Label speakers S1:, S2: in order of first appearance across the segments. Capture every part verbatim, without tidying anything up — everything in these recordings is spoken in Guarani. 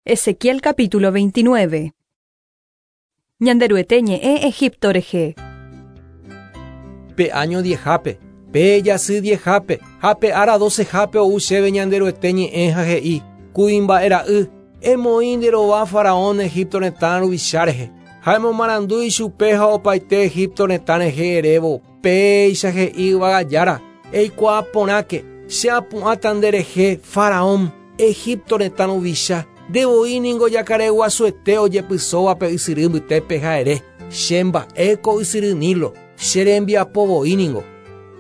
S1: Ezequiel capítulo veintinueve. Ñanderuete ñe'ẽ Egipto rehe.
S2: Pe año diejape, pe jasy diejape, ha pe ára docejape ou chéve Ñanderuete ñe'ẽ ha he'i, kuimba'e ra'y, emoĩ nde rova faraón Egipto retã ruvicha rehe, ha emomarandu ichupe ha opaite Egipto retã rehe erévo, péicha he'i yvagajára, eikuaa porãke, che apu'ãta nde rehe faraón, Egipto retã ruvicha, ndevoi ningo jakareguasuete ojepysóva pe ysyry mbytépe ha ere, che mba'éko ysyry Nilo, che rembiapo voi ningo.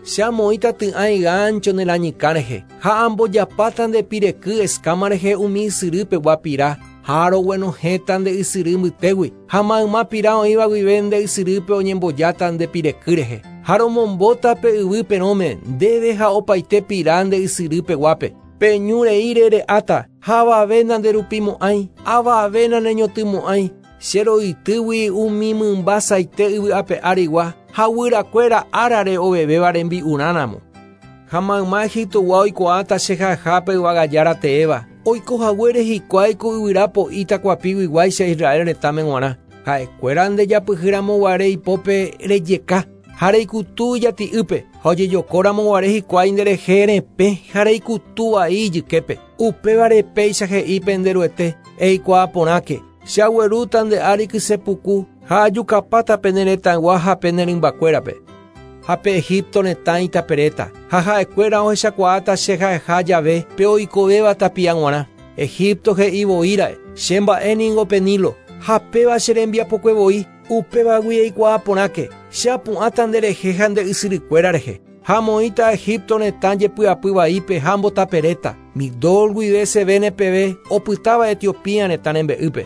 S2: Che amoĩta ty'ãi gáncho ne rañykã rehe, ha ambojapáta nde pireky escama rehe umi ysyrypegua pira, ha roguenohẽta nde ysyry mbytégui, ha mayma pira oĩva guive nde ysyrýpe oñembojáta nde pireky rehe, ha romombóta pe yvy perõme ndéve ha opaite pira nde ysyrypeguápe. Pe ñu reíre re'áta, ha avave nanderupimo'ãi, avave naneñotỹmo'ãi, che roytýgui umi mymba saite yvy ape árigua, ha guyrakuéra árare ovevéva rembi'urãramo. Ha mayma Egiptogua oikuaáta che ha'ehápe yvagajára teéva, oikohaguére hikuái ku yvyra po'i takuapiguiguáicha Israel retãme g̃uarã. Ha'ekuéra ndejapyhýramoguare ipópe rejeka, ha reikutu ijati'ýpe, ha ojejokóramoguare hikuái nderehe repẽ ha reikutu vai ijyképe. Upévare péicha he'i pende Ruete, eikuaa porãke, che aguerúta nde ári kysepuku ha ajukapáta pene retãygua ha pene rymbakuérape. Ha pe Egipto retã itaperéta, ha ha'ekuéra ohechakuaáta che ha'eha jave pe oikovéva tapia g̃uarã. Egipto he'i voíra'e, che mba'e ningo pe Nilo, ha péva che rembiapokue voi, upévagui eikuaa porãke, che apu'ãta nderehe ha nde ysyrykuéra rehe. Ha amoĩta Egipto retã jepy'apy vaípe ha ambotaperéta, Migdol guive Sevene peve opytáva Etiopía retã rembe'ýpe.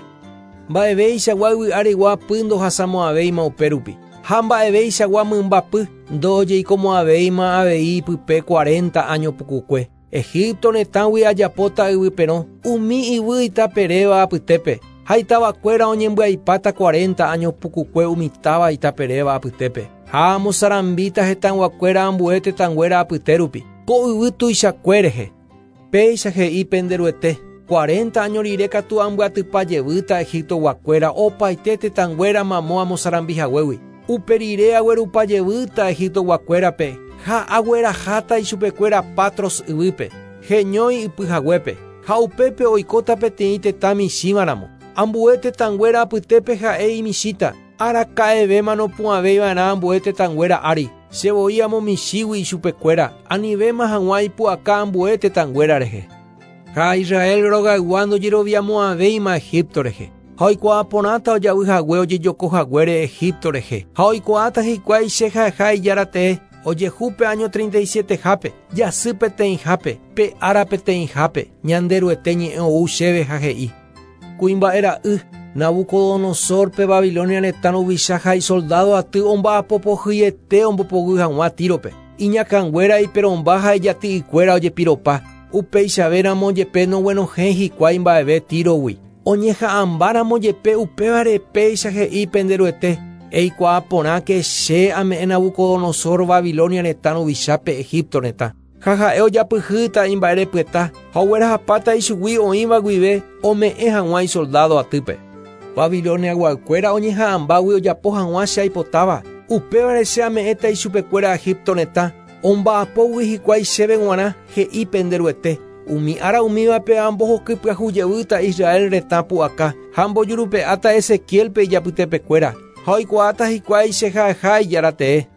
S2: Mba'eveichagua yvy árigua py ndohasamo'ãvéima upérupi, ha mba'eveichagua mymbapy ndojeikomo'ãvéima avei pype cuarenta año pukukue. Egipto retãgui ajapóta yvy perõ, umi yvy itaperéva apytépe, ha itavakuéra oñembyaipáta cuarenta año pukukue umi táva itaperéva apytépe. Ha amosarambíta hetãguakuéra ambue tetãnguéra apytérupi, ko yvy tuichakue rehe. Péicha he'i pende Ruete, cuarenta año rire katu ambyatypa jevýta Egiptoguakuéra opaite tetãnguéra mamo amosarambihaguégui. Upe rire aguerupa jevýta Egiptoguakuérape ha agueraháta ichupekuéra Patros yvýpe, heñói ypyhaguépe, ha upépe oikóta peteĩ tetã michĩvaramo. Ambue tetãnguéra apytépe ha'e imichĩta, araka'evéma nopu'ãvéiva'erã ambue tetãnguéra ári. Che voi amomichĩgui ichupekuéra, anivéma hag̃ua ipu'aka ambue tetãnguéra rehe. Ha Israel rogaygua ndojeroviamo'ãvéima Egipto rehe. Ha oikuaa porãta ojavyhague ojejokohaguére Egipto rehe. Ha oikuaáta hikuái che ha'eha ijára tee, ojehu pe año treinta y sietehápe, jasy peteĩhápe, pe ára peteĩhápe, Ñanderuete ñe'ẽ ou chéve ha he'i. Kuimba'e ra'y, Nabucodonosor pe Babilonia retã ruvicha ha isoldado aty omba'apopohyiete ombopoguy hag̃ua Tírope. Iñakãnguéra iperõmba ha ijati'ykuéra ojepiropa. Upeichavéramo jepe noguenohẽ hikuái mba'eve Tírogui. Oñeha'ãmbáramo jepe upévare péicha he'i pende Ruete, eikuaa porãke che ame'ẽ Nabucodonosor Babilonia retã ruvichápe Egipto retã. Ha ha'e ojapyhýta imba'erepyeta ha oguerahapáta ichugui oĩva guive ome'ẽ hag̃ua isoldado atýpe. Babiloniaguakuéra oñeha'ãmbágui ojapo hag̃ua che aipotáva, upévare che ame'ẽta ichupekuéra Egipto retã, omba'apógui hikuái chéve g̃uarã he'i pende Ruete. Umi ára umívape ambohokypyahu jevýta Israel retã pu'aka ha ambojurupe'áta Ezequielpe ijapytepekuéra, ha oikuaáta hikuái che ha'eha ijára tee.